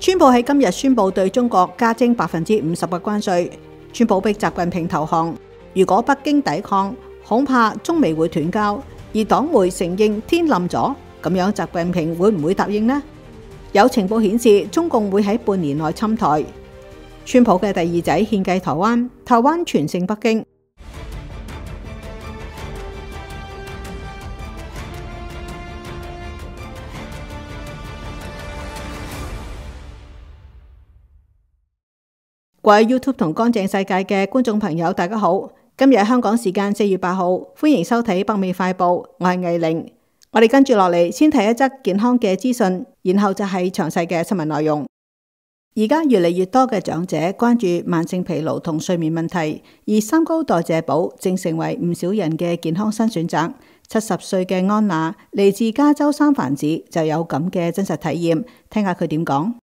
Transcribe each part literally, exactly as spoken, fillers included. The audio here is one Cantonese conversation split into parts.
川普喺今日宣布對中國加徵百分之五十嘅關稅。川普逼習近平投降，如果北京抵抗，恐怕中美會斷交。而黨媒承認天冧咗，咁樣習近平會唔會答應呢？有情報顯示，中共會喺半年內侵台。川普嘅第二仔獻計台灣，台灣傳勝北京。各位 YouTube 同乾淨世界嘅觀眾朋友，大家好！今日香港時間四月八號，歡迎收睇北美快報，我係藝玲。我哋跟住落嚟，先睇一則健康嘅資訊，然後就係詳細嘅新聞內容。而家越嚟越多嘅長者關注慢性疲勞同睡眠問題，而三高代謝寶正成為唔少人嘅健康新選擇。七十歲嘅安娜嚟自加州三藩市，就有咁嘅真實體驗，聽下佢點講。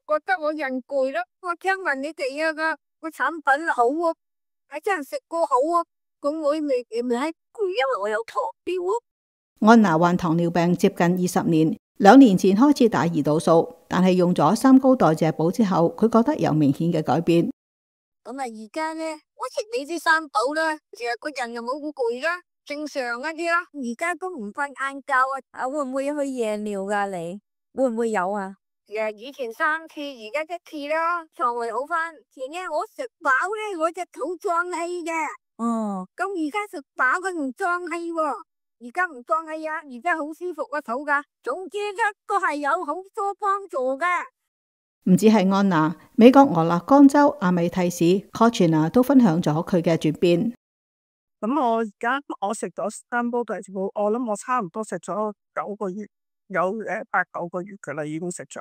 我覺得我人攰啦，我聽聞你哋啊個個產品好啊，係真係食過好啊，咁我未未係攰，因為我有糖尿啊。安娜患糖尿病接近二十年，兩年前開始打胰島素，但係用咗三高代謝寶之後，佢覺得有明顯嘅改變。咁啊，而家咧，我食你啲三寶啦，其實個人又冇咁攰啦，正常一啲啦。而家都唔瞓晏覺啊，啊會唔會去夜尿噶？你會唔會有啊？誒，以前三次，而家一次啦，腸胃好翻。前日我食飽咧，我隻肚脹氣嘅。哦，咁而家食飽佢唔脹氣喎，而家唔脹氣啊，而家好舒服個肚噶。總之咧，都係有好多幫助嘅。唔止係安娜，美國俄勒岡州阿米蒂市 Cochina 都分享咗佢嘅轉變。咁我而家我食咗三煲代謝寶，我諗我差唔多食咗九個月。有誒八九個月嘅啦，已經食咗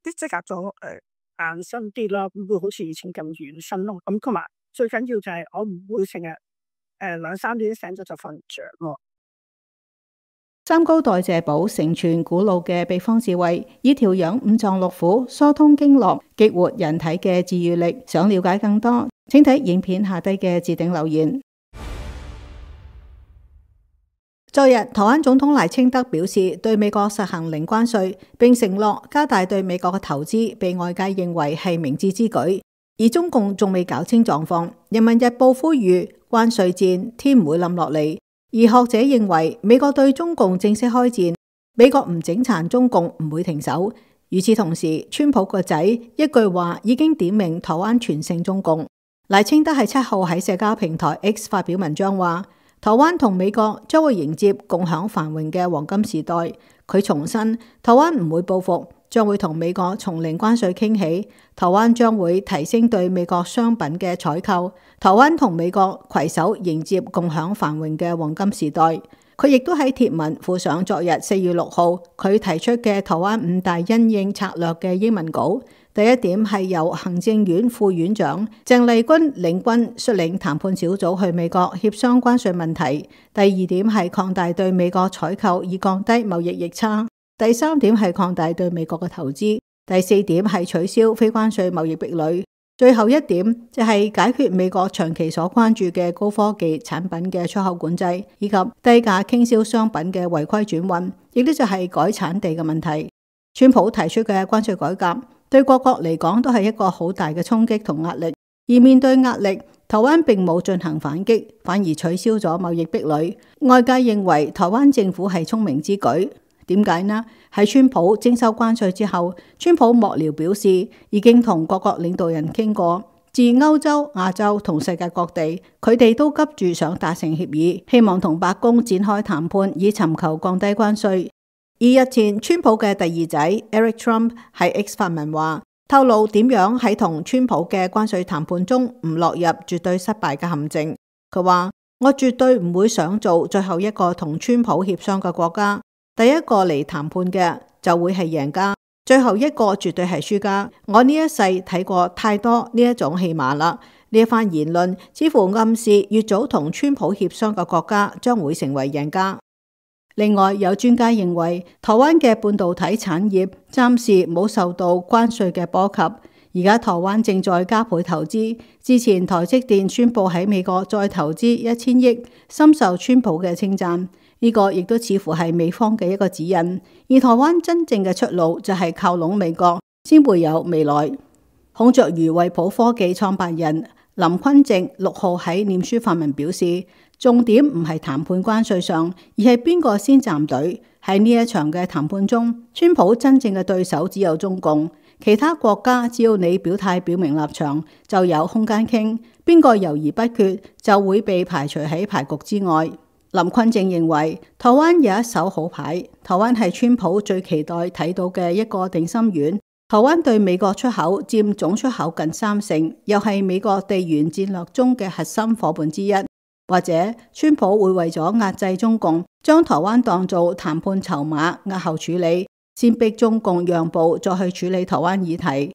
啲即刻咗誒硬身啲啦，唔會好似以前咁軟身咯。咁同埋最緊要就係我唔會成日誒兩三點醒咗就瞓唔着咯。三高代謝寶承傳古老嘅秘方智慧，以調養五臟六腑、疏通經絡、激活人體嘅治癒力。想了解更多，請睇影片下低嘅置頂留言。昨日，台灣總統賴清德表示對美國實行零關稅，並承諾加大對美國嘅投資，被外界認為係明智之舉。而中共仲未搞清狀況，《人民日報》呼籲關稅戰天唔會冧落嚟。而學者認為美國對中共正式開戰，美國唔整殘中共唔會停手。與此同時，川普個仔一句話已經點名台灣全勝中共。賴清德喺七號喺社交平台 X 發表文章話，台灣同美國將會迎接共享繁榮嘅黃金時代。佢重申，台灣唔會報復，將會同美國從零關稅傾起。台灣將會提升對美國商品嘅採購。台灣同美國攜手迎接共享繁榮嘅黃金時代。佢亦都喺貼文附上昨日四月六號佢提出嘅台灣五大因應策略嘅英文稿。第一點係由行政院副院長鄭麗君領軍率領談判小組去美國協商關稅問題。第二點係擴大對美國採購以降低貿易逆差。第三點係擴大對美國嘅投資。第四點係取消非關稅貿易壁壘。最後一點就係解決美國長期所關注嘅高科技產品嘅出口管制，以及低價傾銷商品嘅違規轉運，亦都就係改產地嘅問題。川普提出嘅關稅改革對各國嚟講都係一個好大嘅衝擊同壓力，而面對壓力，台灣並冇進行反擊，反而取消咗貿易壁壘。外界認為台灣政府係聰明之舉。點解呢？喺川普徵收關稅之後，川普幕僚表示已經同各國領導人傾過，自歐洲、亞洲同世界各地，佢哋都急住想達成協議，希望同白宮展開談判，以尋求降低關稅。而日前，川普嘅第二仔 Eric Trump 喺 X 發文話，透露點樣喺同川普嘅關稅談判中唔落入絕對失敗嘅陷阱。佢話：我絕對唔會想做最後一個同川普協商嘅國家。第一個嚟談判嘅就會係贏家，最後一個絕對係輸家。我呢一世睇過太多呢一種戲碼啦。呢一番言論似乎暗示越早同川普協商嘅國家將會成為贏家。另外，有專家認為台灣嘅半導體產業暫時冇受到關稅嘅波及，而家台灣正在加倍投資。之前台積電宣布喺美國再投資一千億，深受川普嘅稱讚。呢個亦都似乎係美方嘅一個指引，而台灣真正嘅出路就係靠攏美國，先會有未來。孔雀魚惠普科技創辦人林坤正六號喺臉書發文表示，重點唔係談判關稅上，而係邊個先站隊。喺呢一場嘅談判中，川普真正嘅對手只有中共，其他國家只要你表態表明立場，就有空間傾。邊個猶豫不決，就會被排除喺牌局之外。林坤正認為，台灣有一手好牌，台灣係川普最期待睇到嘅一個定心丸。台灣對美國出口佔總出口近三成，又係美國地緣戰略中嘅核心伙伴之一。或者川普會為咗壓制中共，將台灣當做談判籌碼押後處理，先逼中共讓步，再去處理台灣議題。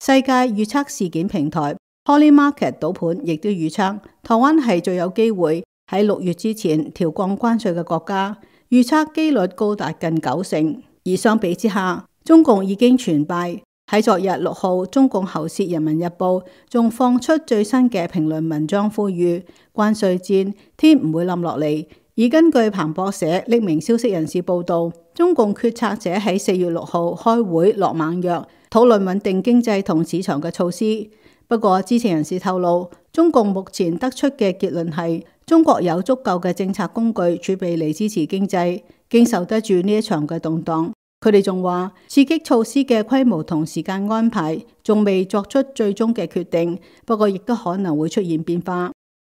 世界預測事件平台 Polymarket 賭盤亦都預測，台灣係最有機會喺六月之前調降關稅嘅國家，預測機率高達近九成。而相比之下，中共已經全敗。喺昨日六號，中共喉舌《人民日報》仲放出最新嘅評論文章，呼籲關稅戰天唔會冧落嚟。而根據彭博社匿名消息人士報道，中共決策者喺四月六號開會落猛藥，討論穩定經濟同市場嘅措施。不過知情人士透露，中共目前得出嘅結論係，中國有足夠嘅政策工具儲備嚟支持經濟，經受得住呢一場嘅動盪。佢哋仲話，刺激措施嘅規模同時間安排仲未作出最終嘅決定，不過亦都可能會出現變化。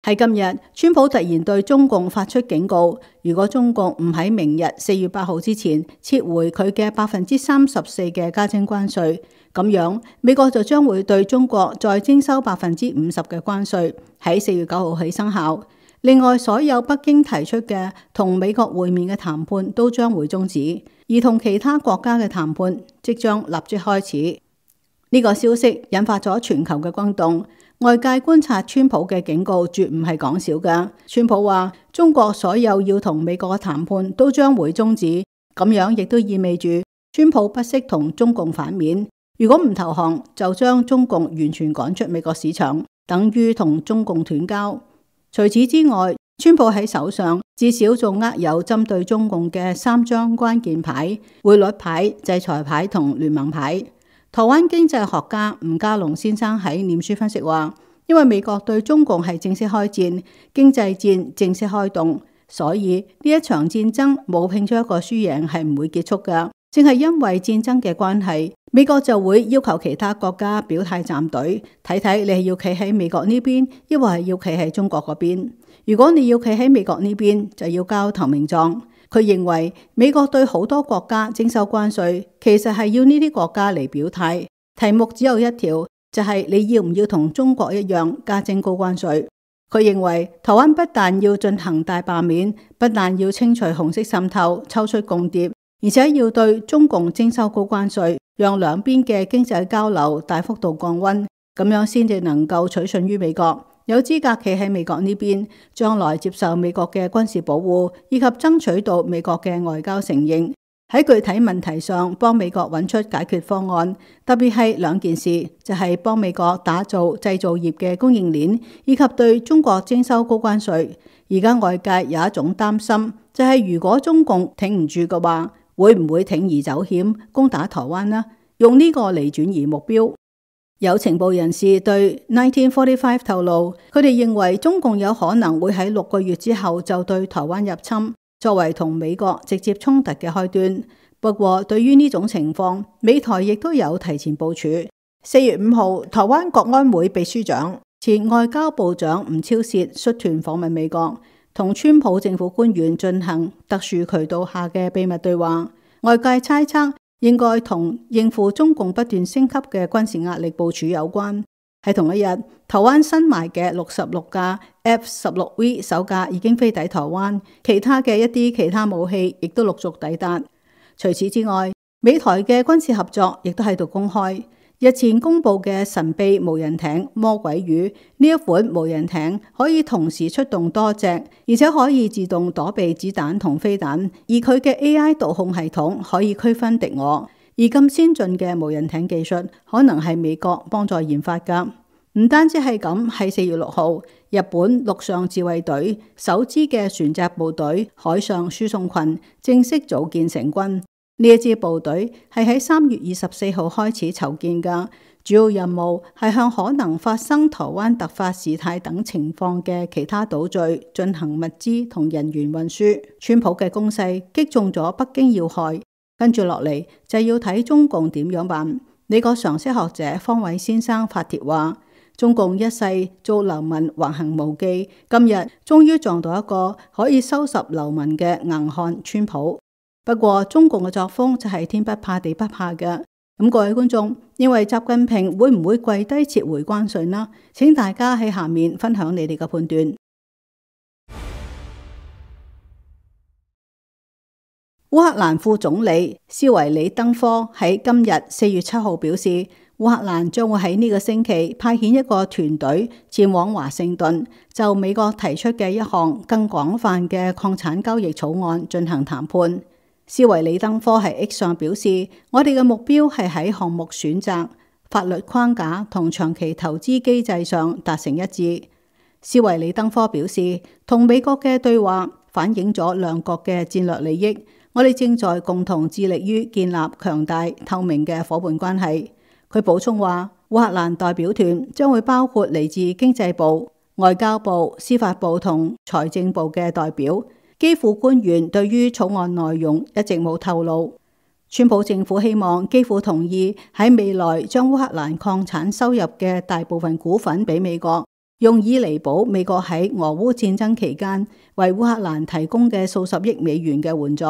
喺今日，川普突然對中共發出警告，如果中共唔喺明日四月八號之前撤回佢嘅百分之三十四嘅加徵關稅，咁樣美國就將會對中國再徵收百分之五十嘅關稅，喺四月九號起生效。另外，所有北京提出嘅同美國會面嘅談判都將會終止，而同其他國家嘅談判即將立即開始。呢個消息引發咗全球嘅轟動，外界觀察川普嘅警告絕唔係講笑㗎。川普話中國所有要同美國嘅談判都將會終止，咁樣亦都意味住川普不惜同中共反面，如果唔投降就將中共完全趕出美國市場，等於同中共斷交。除此之外，川普喺手上至少仲握有針對中共嘅三張關鍵牌：匯率牌、制裁牌同聯盟牌。台灣經濟學家吳家龍先生喺臉書分析話，因為美國對中共係正式開戰，經濟戰正式開動，所以呢一場戰爭冇拼出一個輸贏係唔會結束㗎。正係因為戰爭嘅關係，美國就會要求其他國家表態站隊，睇睇你係要企喺美國呢邊，抑或係要企喺中國嗰邊。如果你要企喺美國呢邊，就要交投名狀。佢認為美國對好多國家徵收關稅，其實係要呢啲國家嚟表態。題目只有一條，就係你要唔要同中國一樣加徵高關稅。佢認為台灣不但要進行大罷免，不但要清除紅色滲透、抽出共諜，而且要對中共徵收高關稅，讓兩邊嘅經濟交流大幅度降溫，咁樣先至能夠取信於美國，有資格企喺美國呢邊，將來接受美國嘅軍事保護，以及爭取到美國嘅外交承認。喺具體問題上幫美國揾出解決方案，特別係兩件事，就係幫美國打造製造業嘅供應鏈，以及對中國徵收高關稅。而家外界有一種擔心，就係如果中共挺唔住嘅話，會唔會鋌而走險攻打台灣呢？用呢個嚟轉移目標。有情報人士對一九四五透露，佢哋認為中共有可能會喺六個月之後就對台灣入侵，作為同美國直接衝突嘅開端。不過對於呢種情況，美台亦都有提前部署。四月五號，台灣國安會秘書長、前外交部長吳釗燮率團訪問美國，同川普政府官員進行特殊渠道下嘅秘密對話。外界猜測應該同應付中共不斷升級嘅軍事壓力部署有關。喺同一日，台灣新買嘅六十六架 F 十六 V 首架已經飛抵台灣，其他嘅一啲其他武器亦都陸續抵達。除此之外，美台嘅軍事合作亦都喺度公開。日前公布嘅神秘無人艇魔鬼魚，呢一款無人艇可以同時出動多隻，而且可以自動躲避子彈同飛彈，而佢嘅 A I 導控系統可以區分敵我。而咁先進嘅無人艇技術可能係美國幫助研發㗎。唔單止係咁，喺四月六號，日本陸上自衛隊首支嘅船隻部隊海上輸送群正式組建成軍。呢一支部隊係喺三月二十四號開始籌建㗎，主要任務係向可能發生台灣突發事態等情況嘅其他島嶼進行物資同人員運輸。川普嘅攻勢擊中咗北京要害，跟住落嚟就要睇中共點樣辦。美國常識學者方偉先生發帖話：中共一世做流民橫行無忌，今日終於撞到一個可以收拾流民嘅硬漢川普。不過中共嘅作風就係天不怕地不怕嘅。咁各位觀眾認為習近平會唔會跪低撤回關稅呢？請大家喺下面分享你哋嘅判斷。烏克蘭副總理斯維里登科喺今日四月七號表示，烏克蘭將會喺呢個星期派遣一個團隊前往華盛頓，就美國提出嘅一項更廣泛嘅礦產交易草案進行談判。斯維里登科喺 X 上表示，我哋嘅目標係喺項目選擇、法律框架同長期投資機制上達成一致。斯維里登科表示，同美國嘅對話反映咗兩國嘅戰略利益。我哋正在共同致力於建立強大透明嘅夥伴關係。佢補充話，烏克蘭代表團將會包括嚟自經濟部、外交部、司法部同財政部嘅代表。基輔官員對於草案內容一直冇透露。川普政府希望基輔同意喺未來將烏克蘭礦產收入嘅大部分股份俾美國，用以彌補美國喺俄烏戰爭期間為烏克蘭提供嘅數十億美元嘅援助。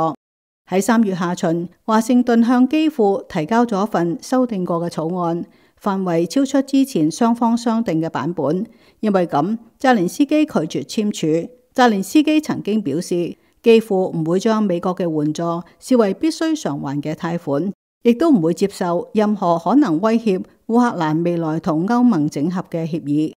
喺三月下旬，華盛頓向基輔提交咗一份修訂過嘅草案，範圍超出之前雙方商定嘅版本。因為咁，澤連斯基拒絕簽署。澤連斯基曾經表示，基輔唔會將美國嘅援助視為必須償還嘅貸款，亦都唔會接受任何可能威脅烏克蘭未來同歐盟整合嘅協議。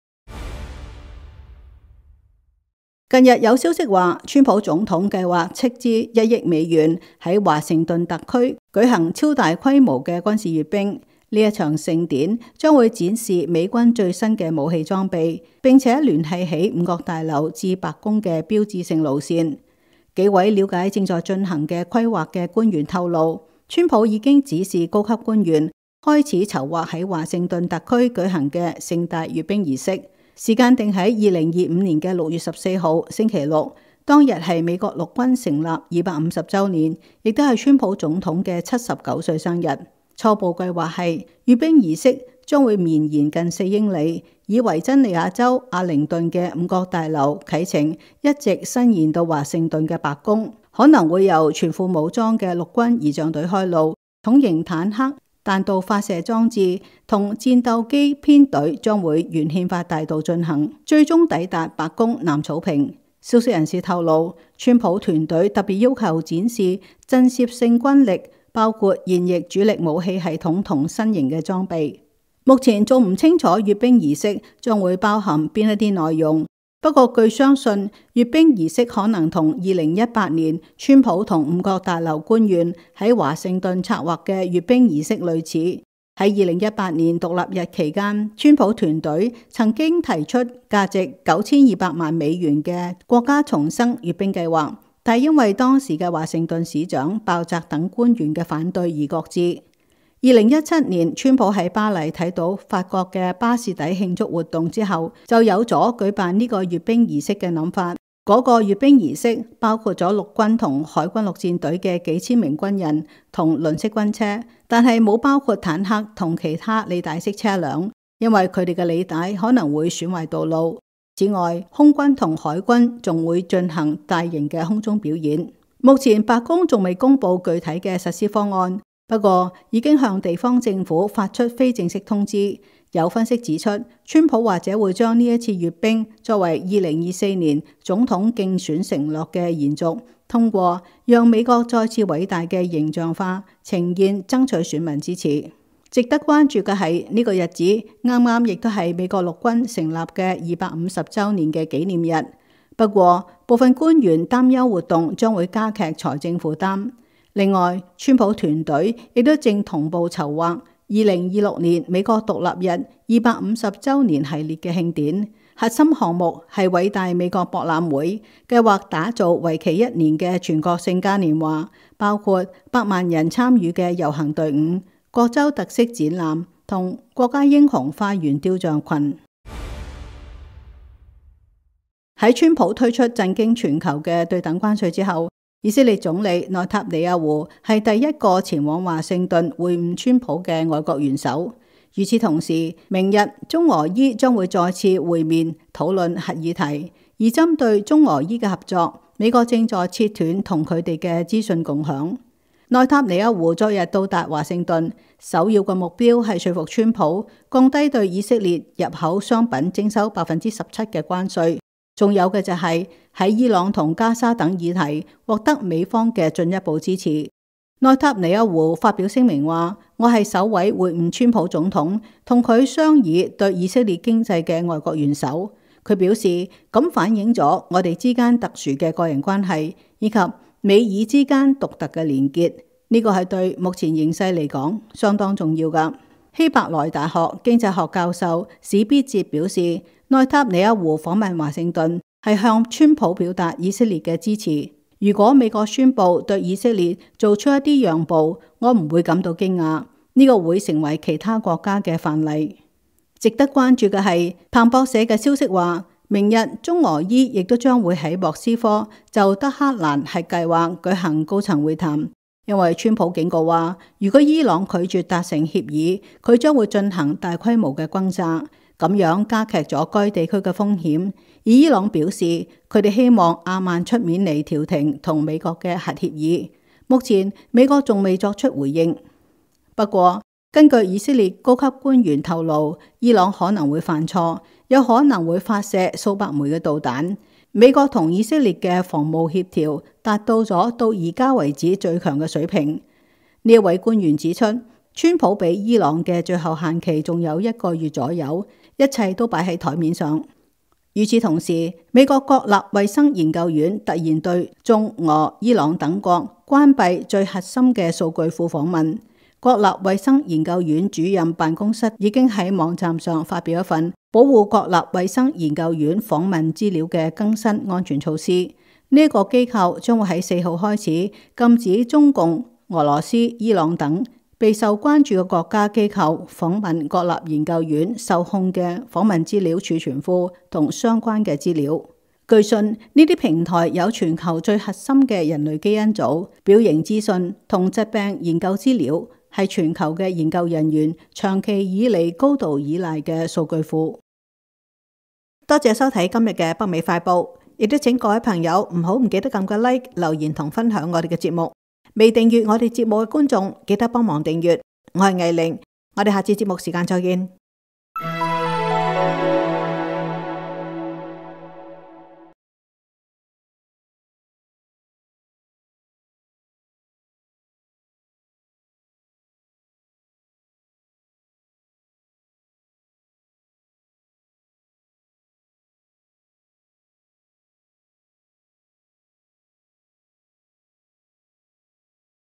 近日有消息話，川普總統計劃斥資一億美元喺華盛頓特區舉行超大規模嘅軍事閱兵。呢一場盛典將會展示美軍最新嘅武器裝備，並且聯繫起五角大樓至白宮嘅標誌性路線。幾位了解正在進行嘅規劃嘅官員透露，川普已經指示高級官員開始籌劃喺華盛頓特區舉行嘅盛大閱兵儀式。時間定喺二零二五年嘅六月十四號星期六，當日係美國陸軍成立二百五十週年，亦都係川普總統嘅七十九歲生日。初步計劃係閱兵儀式將會綿延近四英里，以維珍尼亞州阿靈頓嘅五角大樓啟程，一直伸延到華盛頓嘅白宮，可能會由全副武裝嘅陸軍儀仗隊開路，重型坦克、彈道發射裝置同戰鬥機編隊將會沿憲法大道進行，最終抵達白宮南草坪。消息人士透露，川普團隊特別要求展示震懾性軍力，包括現役主力武器系統同新型嘅裝備。目前仲唔清楚閱兵儀式將會包含邊一啲內容。不過據相信，閱兵儀式可能同二零一八年川普同五角大樓官員喺華盛頓策劃嘅閱兵儀式類似。喺二零一八年獨立日期間，川普團隊曾經提出價值九千二百萬美元嘅國家重生閱兵計劃，但因為當時嘅華盛頓市長鮑澤等官員嘅反對而擱置。二零一七年，川普喺巴黎睇到法國嘅巴士底慶祝活動之後，就有咗舉辦呢個閱兵儀式嘅諗法。嗰、那個閱兵儀式包括咗陸軍同海軍陸戰隊嘅幾千名軍人同輪式軍車，但係冇包括坦克同其他履帶式車輛，因為佢哋嘅履帶可能會損壞道路。此外，空軍同海軍仲會進行大型嘅空中表演。目前白宮仲未公布具體嘅實施方案。不過已經向地方政府發出非正式通知。有分析指出，川普或者會將呢一次閱兵作為二零二四年總統競選承諾嘅延續，通過讓美國再次偉大嘅形象化呈現，爭取選民支持。值得關注嘅係呢個日子啱啱亦都係美國陸軍成立嘅二百五十週年嘅紀念日。不過部分官員擔憂活動將會加劇財政負擔。另外，川普團隊亦都正同步籌劃二零二六年美國獨立日二百五十週年系列嘅慶典。核心項目係偉大美國博覽會，計劃打造為期一年嘅全國性嘉年華，包括百萬人參與嘅遊行隊伍、各州特色展覽同國家英雄花園雕像群。喺川普推出震驚全球嘅對等關稅之後，以色列總理內塔尼亞胡係第一個前往華盛頓會晤川普嘅外國元首。與此同時，明日中俄伊將會再次會面討論核議題，而針對中俄伊嘅合作，美國正在切斷同佢哋嘅資訊共享。內塔尼亞胡昨日到達華盛頓，首要嘅目標係說服川普降低對以色列入口商品徵收百分之十七嘅關稅。仲有嘅就係喺伊朗同加沙等議題獲得美方嘅進一步支持。內塔尼亞胡發表聲明話：我係首位會晤川普總統同佢商議對以色列經濟嘅外國元首。佢表示咁反映咗我哋之間特殊嘅個人關係，以及美以之間獨特嘅連結。呢個係對目前形勢嚟講相當重要㗎。希伯來大學經濟學教授史必哲表示，內塔尼亞胡訪問華盛頓係向川普表達以色列嘅支持。如果美國宣布對以色列做出一啲讓步，我唔會感到驚訝。呢個會成為其他國家嘅範例。值得關注嘅係，彭博社嘅消息話，明日中俄伊亦都將會喺莫斯科就德黑蘭核計劃舉行高層會談。因為川普警告話，如果伊朗拒絕達成協議，佢將會進行大規模嘅轟炸，咁樣加劇咗該地區嘅風險。而伊朗表示，佢哋希望阿曼出面嚟調停同美國嘅核協議。目前美國仲未作出回應。不過，根據以色列高級官員透露，伊朗可能會犯錯，有可能會發射數百枚嘅導彈。美國同以色列嘅防務協調達到咗到而家為止最強嘅水平。呢一位官員指出，川普俾伊朗嘅最後限期仲有一個月左右，一切都擺喺台面上。與此同時，美國國立衛生研究院突然對中俄伊朗等國關閉最核心嘅數據庫訪問。國立衛生研究院主任辦公室已經喺網站上發表一份保護國立衛生研究院訪問資料嘅更新安全措施。呢、這、一個機構將會喺四號開始禁止中共、俄羅斯、伊朗等備受關注嘅國家機構訪問國立研究院受控嘅訪問資料儲存庫同相關嘅資料。據信呢啲平台有全球最核心嘅人類基因組、表型資訊同疾病研究資料，係全球嘅研究人員長期以嚟高度依賴嘅數據庫。多謝收睇今日嘅北美快報，亦都請各位朋友唔好唔記得撳個 like、留言同分享我哋嘅節目。未訂閱我哋節目嘅觀眾，記得幫忙訂閱。我係藝玲，我哋下次節目時間再見。